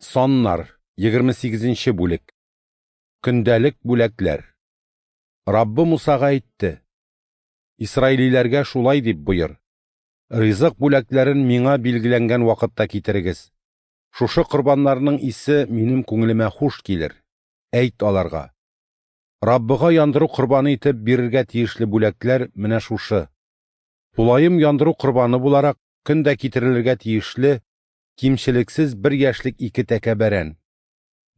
Саннар, 28 нче бүлек. Көндәлек бүләкләр. Раббы Мусага әйтте: Исраилиләргә шулай дип боер: Ризык бүләкләрен миңа билгеләнгән вакытта китерегез. Шушы корбаннарның исе минем күңелемә хуш килер. Әйт аларга: Раббыга яндыру корбаны итеп бирергә тиешле бүләкләр менә шушы: тулаем яндыру корбаны буларак көн дә китерелергә тиешле кимчелексез бер яшьлек ике тәкә бәрән.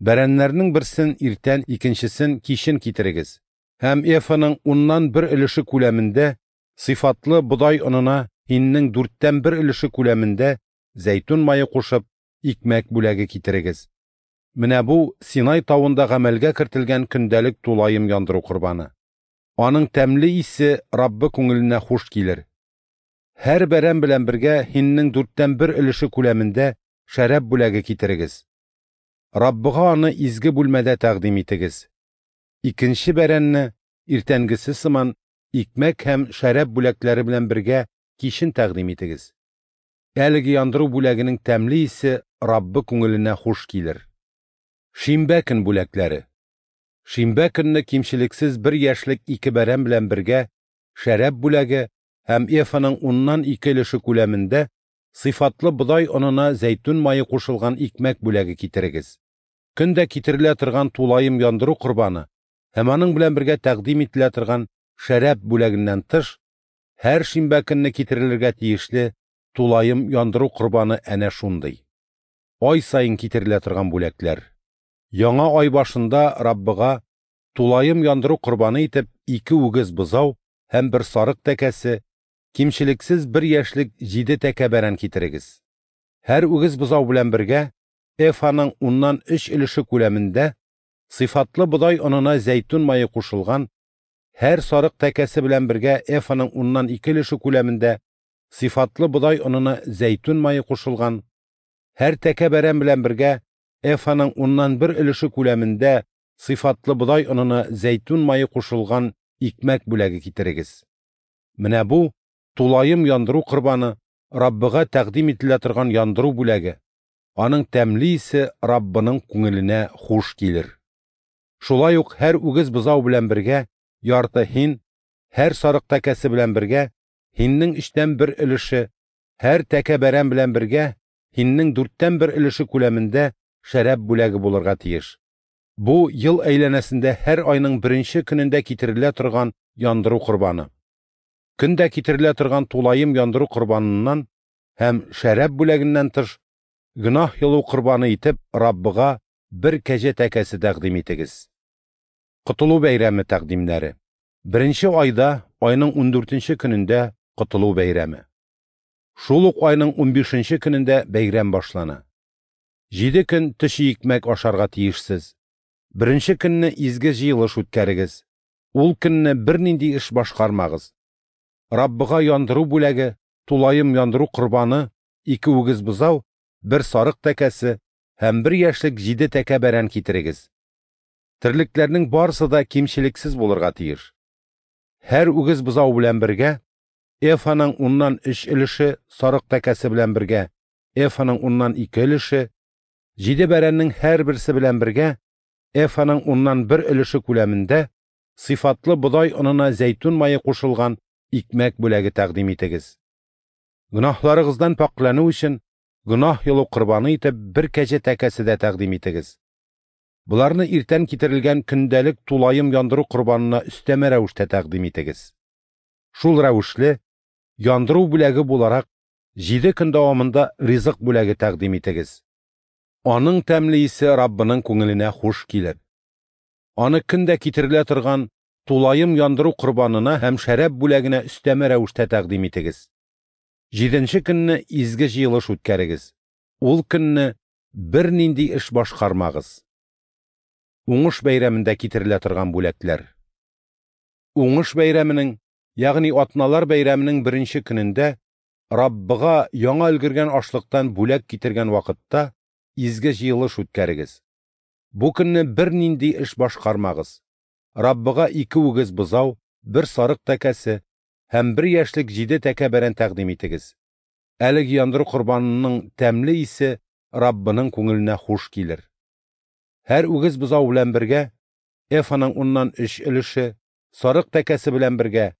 Бәрәннәрнең берсен иртән, икенчесен кичен китерегез. Һәм эфаның уннан бер өлеше күләмендә сыйфатлы бодай онына һиннең дүрттән бер өлеше күләмендә зәйтүн мае кушып, икмәк бүләге китерегез. Менә бу Синай тавында гамәлгә кертелгән көндәлек тулаем яндыру корбаны. Аның тәмле исе Раббы күңеленә хуш килер. Һәр бәрән белән бергә һиннең дүрттән бер өлеше күләмендә шәраб бүләге китерегез. Раббыга аны изге бүлмәдә тәкъдим итегез. Икенче бәрәнне иртәнгесе сыман икмәк һәм шәраб бүләкләре белән бергә кичен тәкъдим итегез. Әлеге яндыру бүләгенең тәмле исе Раббы күңеленә хуш килер. Шимбә көн бүләкләре. Шимбә көнне кимчелексез бер яшьлек ике бәрән белән бергә шәраб бүләге һәм эфаның уннан ике өлеше күләмендә сыйфатлы бодай онына зәйтүн мае кушылган икмәк бүләге китерегез. Көн дә китерелә торган тулаем яндыру корбаны һәм аның белән бергә тәкъдим ителә торган шәраб бүләгеннән тыш, һәр шимбә көнне китерелергә тиешле тулаем яндыру корбаны әнә шундый. Ай саен китерелә торган бүләкләр. Яңа ай башында Раббыга тулаем яндыру корбаны итеп ике үгез бозау һәм бер сарык тәкәсе, кимчелексез бер яшьлек җиде тәкә бәрән китерегез. Һәр үгез бозау белән бергә эфаның уннан өч өлеше күләмендә сыйфатлы бодай онына зәйтүн мае кушылган, һәр сарык тәкәсе белән бергә эфаның уннан ике өлеше күләмендә сыйфатлы бодай онына зәйтүн мае кушылган, һәр тәкә бәрән белән бергә эфаның уннан бер өлеше күләмендә сыйфатлы бодай онына зәйтүн мае кушылган икмәк бүләге китерегез. Менә бу тулаем яндыру корбаны, Раббыга тәкъдим ителә торган яндыру бүләге. Аның тәмле исе Раббының күңеленә хуш килер. Шулай ук һәр үгез бозау белән бергә ярты һин, һәр сарык тәкәсе белән бергә һиннең өчтән бер өлеше, һәр тәкә бәрән белән бергә һиннең дүрттән бер өлеше күләмендә шәраб бүләге булырга тиеш. Бу ел әйләнәсендә һәр айның беренче көнендә китерелә торган яндыру корбаны. Көн дә китерелә торган тулаем яндыру корбаныннан һәм шәраб бүләгеннән тыш, гөнаһ йолу корбаны итеп Раббыга бер кәҗә тәкәсе тәкъдим итегез. Котылу бәйрәме тәкъдимнәре. Беренче айда, айның 14нче көнендә Котылу бәйрәме. Шул ук айның 15нче көнендә бәйрәм башлана. 7 көн төче икмәк ашарга тиешсез. Беренче көнне изге җыелыш үткәрегез. Ул көнне бернинди эш башкармагыз. Раббыга яндыру бүләге, тулаем яндыру корбаны, ике үгез бозау, бер сарык тәкәсе һәм бер яшьлек җиде тәкә бәрән китерегез. Терлекләрнең барысы да кимчелексез булырга тиеш. Һәр үгез бозау белән бергә эфаның уннан өч өлеше, сарык тәкәсе белән бергә эфаның уннан ике өлеше, җиде бәрәннең һәрберсе белән бергә эфаның уннан бер өлеше күләмендә сыйфатлы бодай онына зәйтүн мае кушылган икмәк бүләге тәкъдим итегез. Гөнаһларыгыздан пакьләнү өчен гөнаһ йолу корбаны итеп бер кәҗә тәкәсе дә тәкъдим итегез. Боларны иртән китерелгән көндәлек тулаем яндыру корбанына өстәмә рәвештә тәкъдим итегез. Шул рәвешле яндыру бүләге буларак 7 көн дәвамында ризык бүләге тәкъдим итегез. Аның тәмле исе Раббының күңеленә хуш килер. Аны көн дә китерелә торган тулаем яндыру корбанына һәм шәраб бүләгенә өстәмә рәвештә тәкъдим итегез. 7нче көнне изге җыелыш үткәрегез. Ул көнне бернинди эш башкармагыз. Уңыш бәйрәмендә китерелә торган бүләкләр. Уңыш бәйрәменең, ягъни атналар бәйрәменең беренче көнендә Раббыга яңа өлгергән ашлыктан бүләк китергән вакытта изге җыелыш үткәрегез. Бу көнне бернинди эш башкармагыз. Раббыга ике үгез бозау, бер сарык тәкәсе һәм бер яшьлек җиде тәкә бәрән тәкъдим итегез. Әлеге яндыру корбанының тәмле исе Раббының күңеленә хуш килер. Һәр үгез бозау белән бергә эфаның уннан өч өлеше, сарык тәкәсе белән бергә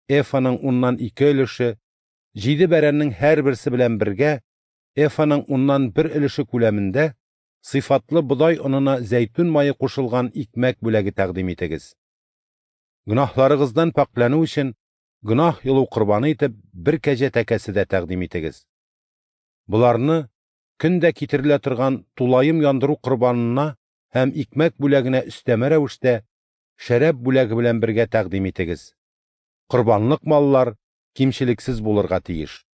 эфаның уннан ике өлеше, җиде бәрәннең һәрберсе белән бергә эфаның уннан бер өлеше күләмендә сыйфатлы бодай онына зәйтүн мае кушылган икмәк бүләге тәкъдим итегез. Гөнаһларыгыздан пакьләнү өчен гөнаһ йолу корбаны итеп бер кәҗә тәкәсе дә тәкъдим итегез. Боларны көн дә китерелә торган тулаем яндыру корбанына һәм икмәк бүләгенә өстәмә рәвештә шәраб бүләге белән бергә тәкъдим итегез. Корбанлык маллар кимчелексез булырга тиеш.